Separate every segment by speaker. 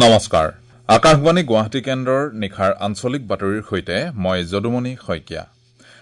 Speaker 1: নমস্কাৰ, আকাশবাণী গুৱাহাটী কেন্দ্ৰৰ নিশাৰ আঞ্চলিক বাতৰিৰ সৈতে মই যদুমণি শইকীয়া।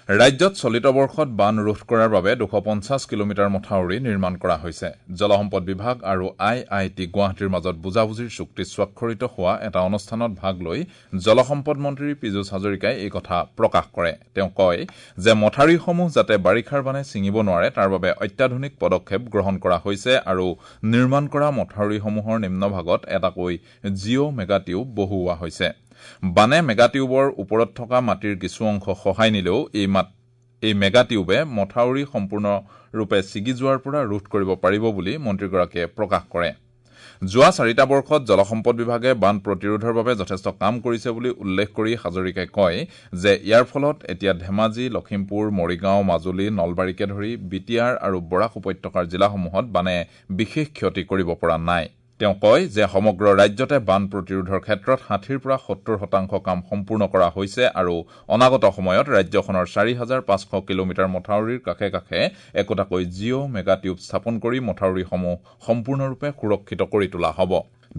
Speaker 1: ৰাজ্যত চলিত বৰ্ষত বান ৰোধ কৰাৰ বাবে 250 কিলোমিটাৰ মথাউৰি নিৰ্মাণ কৰা হৈছে। জলসম্পদ বিভাগ আৰু আই I T গুৱাহাটীৰ মাজত বুজাবুজিৰ চুক্তি স্বাক্ষৰিত হোৱা এটা অনুষ্ঠানত ভাগ লৈ জলসম্পদ মন্ত্ৰী পীযুষ হাজৰিকাই এই কথা প্ৰকাশ কৰে। তেওঁ কয় যে মথাউৰিসমূহ যাতে বাৰিষাৰ বানে ছিঙিব নোৱাৰে তাৰ বাবে অত্যাধুনিক পদক্ষেপ গ্ৰহণ কৰা হৈছে আৰু নিৰ্মাণ কৰা মথাউৰিসমূহৰ নিম্নভাগত এটাকৈ জিঅ' মেগা টিউব বহুওৱা হৈছে। বানে মেগা টিউবৰ ওপৰত থকা মাটিৰ কিছু অংশ সহায় নিলেও এই মেগা টিউবে মথাউৰি সম্পূৰ্ণৰূপে ছিগি যোৱাৰ পৰা ৰোধ কৰিব পাৰিব বুলি মন্ত্ৰীগৰাকীয়ে প্ৰকাশ কৰে। যোৱা 4টা বৰ্ষত জলসম্পদ বিভাগে বান প্ৰতিৰোধৰ বাবে যথেষ্ট কাম কৰিছে বুলি উল্লেখ কৰি হাজৰিকাই কয় যে ইয়াৰ ফলত এতিয়া ধেমাজি, লখিমপুৰ, মৰিগাঁও, মাজুলী, নলবাৰীকে ধৰি বি টি আৰ আৰু বৰাক উপত্যকাৰ জিলাসমূহত বানে বিশেষ ক্ষতি কৰিব পৰা নাই। তেওঁ কয় যে সমগ্ৰ ৰাজ্যতে বান প্ৰতিৰোধৰ ক্ষেত্ৰত 60ৰ পৰা 70% কাম সম্পূৰ্ণ কৰা হৈছে আৰু অনাগত সময়ত ৰাজ্যখনৰ 4500 কিলোমিটাৰ মথাউৰিৰ কাষে কাষে একোটাকৈ জিঅ' মেগা টিউব স্থাপন কৰি মথাউৰিসমূহ সম্পূৰ্ণৰূপে সুৰক্ষিত কৰি তোলা হ'ব।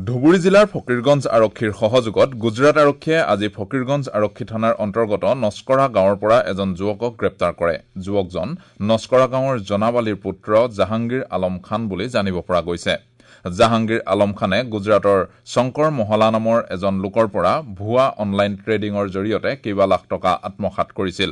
Speaker 1: ধুবুৰী জিলাৰ ফকীৰগঞ্জ আৰক্ষীৰ সহযোগত গুজৰাট আৰক্ষীয়ে আজি ফকীৰগঞ্জ আৰক্ষী থানাৰ অন্তৰ্গত নস্কৰা গাঁৱৰ পৰা এজন যুৱকক গ্ৰেপ্তাৰ কৰে। যুৱকজন নস্কৰা গাঁৱৰ জনাব আলীৰ পুত্ৰ জাহাংগীৰ আলম খান বুলি জানিব পৰা গৈছে। জাহাংগীৰ আলম খানে গুজৰাটৰ শংকৰ মহলা নামৰ এজন লোকৰ পৰা ভুৱা অনলাইন ট্ৰেডিঙৰ জৰিয়তে কেইবা লাখ টকা আত্মসাৎ কৰিছিল।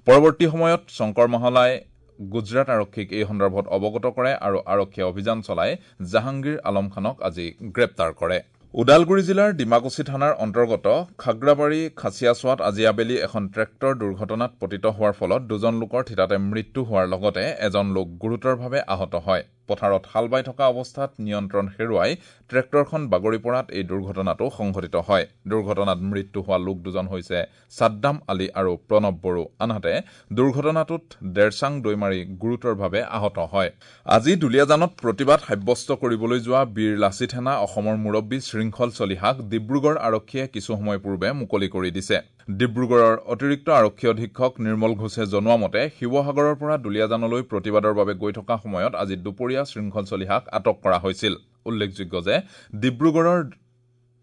Speaker 1: পৰৱৰ্তী সময়ত শংকৰ মহলাই গুজৰাট আৰক্ষীক এই সন্দৰ্ভত অৱগত কৰে আৰু আৰক্ষীয়ে অভিযান চলাই জাহাংগীৰ আলম খানক আজি গ্ৰেপ্তাৰ কৰে। ওদালগুৰি জিলাৰ ডিমাকুছি থানাৰ অন্তৰ্গত খাগ্ৰাবাৰী খাচিয়াচোৱাত আজি আবেলি এখন ট্ৰেক্টৰ দুৰ্ঘটনাত পতিত হোৱাৰ ফলত দুজন লোকৰ থিতাতে মৃত্যু হোৱাৰ লগতে এজন লোক গুৰুতৰভাৱে আহত হয়। পথাৰত হাল বাই থকা অৱস্থাত নিয়ন্ত্ৰণ হেৰুৱাই ট্ৰেক্টৰখন বাগৰি পৰাত এই দুৰ্ঘটনাটো সংঘটিত হয়। দুৰ্ঘটনাত মৃত্যু হোৱা লোক দুজন হৈছে ছাদ্দাম আলী আৰু প্ৰণৱ বড়ো। আনহাতে দুৰ্ঘটনাটোত ডেৰচাং দৈমাৰী গুৰুতৰভাৱে আহত হয়। আজি দুলীয়াজানত প্ৰতিবাদ সাব্যস্ত কৰিবলৈ যোৱা বীৰ লাচিত সেনা অসমৰ মুৰব্বী শৃংখল চলিহাক ডিব্ৰুগড় আৰক্ষীয়ে কিছু সময় পূৰ্বে মুকলি কৰি দিছে। ডিব্ৰুগড়ৰ অতিৰিক্ত আৰক্ষী অধীক্ষক নিৰ্মল ঘোষে জনোৱা মতে শিৱসাগৰৰ পৰা দুলীয়াজানলৈ প্ৰতিবাদৰ বাবে গৈ থকা সময়ত আজি দুপৰীয়া শৃংখল চলিহাক আটক কৰা হৈছিল। উল্লেখযোগ্য যে ডিব্ৰুগড়ৰ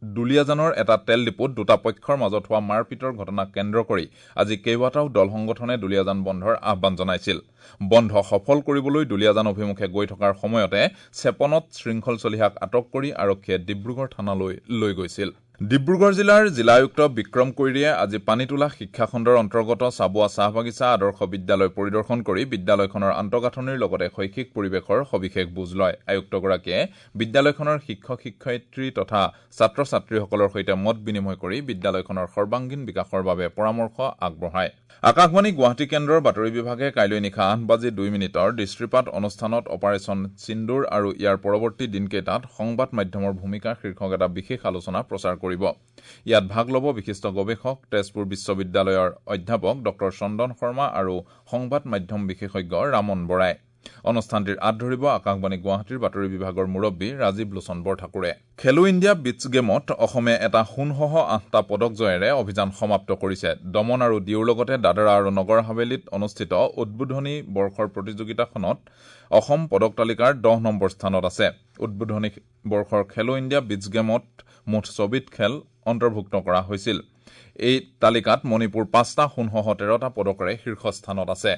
Speaker 1: দুলীয়াজানৰ এটা তেল ডিপুত দুটা পক্ষৰ মাজত হোৱা মাৰপিটৰ ঘটনাক কেন্দ্ৰ কৰি আজি কেইবাটাও দল সংগঠনে দুলীয়াজান বন্ধৰ আহ্বান জনাইছিল। বন্ধ সফল কৰিবলৈ দুলীয়াজান অভিমুখে গৈ থকাৰ সময়তে চেপনত শৃংখল চলিহাক আটক কৰি আৰক্ষীয়ে ডিব্ৰুগড় থানালৈ লৈ গৈছিল। ডিব্ৰুগড় জিলাৰ জিলা আয়ুক্ত বিক্ৰম কৈৰীয়ে আজি পানীতোলা শিক্ষাখণ্ডৰ অন্তৰ্গত চাবুৱা চাহ বাগিচা আদৰ্শ বিদ্যালয় পৰিদৰ্শন কৰি বিদ্যালয়খনৰ আন্তঃগাঁথনিৰ লগতে শৈক্ষিক পৰিৱেশৰ সবিশেষ বুজ লয়। আয়ুক্তগৰাকীয়ে বিদ্যালয়খনৰ শিক্ষক শিক্ষয়িত্ৰী তথা ছাত্ৰ ছাত্ৰীসকলৰ সৈতে মত বিনিময় কৰি বিদ্যালয়খনৰ সৰ্বাংগীন বিকাশৰ বাবে পৰামৰ্শ আগবঢ়ায়। আকাশবাণী গুৱাহাটী কেন্দ্ৰৰ বাতৰি বিভাগে কাইলৈ নিশা 8:02 দৃষ্টিপাত অনুষ্ঠানত অপাৰেচন সিন্দুৰ আৰু ইয়াৰ পৰৱৰ্তী দিনকেইটাত সংবাদ মাধ্যমৰ ভূমিকা শীৰ্ষক এটা বিশেষ আলোচনা প্ৰচাৰ কৰিব। ইয়াত ভাগ ল'ব বিশিষ্ট গৱেষক তেজপুৰ বিশ্ববিদ্যালয়ৰ অধ্যাপক ডঃ চন্দন শৰ্মা আৰু সংবাদ মাধ্যম বিশেষজ্ঞ ৰামন বৰাই। অনুষ্ঠানটিৰ আঁত ধৰিব আকাশবাণী গুৱাহাটীৰ বাতৰি বিভাগৰ মুৰব্বী ৰাজীৱ লোচন বৰঠাকুৰে। খেলো ইণ্ডিয়া বীচ গেমত অসমে এটা সোণসহ 8টা পদক জয়েৰে অভিযান সমাপ্ত কৰিছে। দমন আৰু ডিউৰ লগতে দাদৰা আৰু নগৰ হাভেলীত অনুষ্ঠিত উদ্বোধনী বৰ্ষৰ প্ৰতিযোগিতাখনত অসম পদক তালিকাৰ 10 নম্বৰ স্থানত আছে। উদ্বোধনী বৰ্ষৰ খেলো ইণ্ডিয়া বীচ গেমত মুঠ 6বিধ খেল অন্তৰ্ভুক্ত কৰা হৈছিল। এই তালিকাত মণিপুৰ 5টা সোণসহ 13টা পদকেৰে শীৰ্ষস্থানত আছে।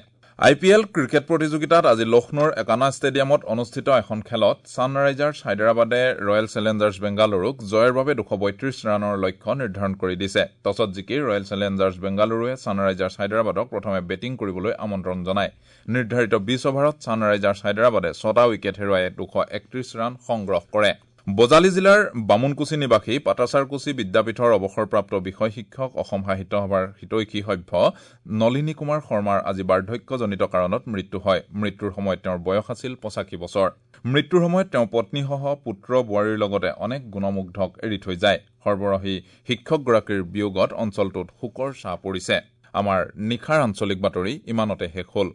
Speaker 1: আই পি এল ক্ৰিকেট প্ৰতিযোগিতাত আজি লক্ষ্ণৌৰ একানা ষ্টেডিয়ামত অনুষ্ঠিত এখন খেলত ছানৰাইজাৰ্ছ হায়দৰাবাদে ৰয়েল চেলেঞ্জাৰ্ছ বেংগালুৰুক জয়ৰ বাবে 232 ৰানৰ লক্ষ্য নিৰ্ধাৰণ কৰি দিছে। টছত জিকি ৰয়েল চেলেঞ্জাৰ্ছ বেংগালুৰুৱে ছানৰাইজাৰ্ছ হায়দৰাবাদক প্ৰথমে বেটিং কৰিবলৈ আমন্ত্ৰণ জনায়। নিৰ্ধাৰিত 20 অভাৰত ছানৰাইজাৰ্ছ হায়দৰাবাদে 6টা উইকেট হেৰুৱাই 231 ৰান সংগ্ৰহ কৰে। বজালী জিলাৰ বামুণকুছি নিবাসী পাটাছাৰকুছি বিদ্যাপীঠৰ অৱসৰপ্ৰাপ্ত বিষয় শিক্ষক অসম সাহিত্য সভাৰ হিতৈষী সভ্য নলিনী কুমাৰ শৰ্মাৰ আজি বাৰ্ধক্যজনিত কাৰণত মৃত্যু হয়। মৃত্যুৰ সময়ত তেওঁৰ বয়স আছিল 85 বছৰ। মৃত্যুৰ সময়ত তেওঁ পত্নীসহ পুত্ৰ বোৱাৰীৰ লগতে অনেক গুণমুগ্ধক এৰি থৈ যায়। সৰবৰাহী শিক্ষকগৰাকীৰ বিয়োগত অঞ্চলটোত শোকৰ ছাঁ পৰিছে। আমাৰ নিশাৰ আঞ্চলিক বাতৰি ইমানতে শেষ হ'ল।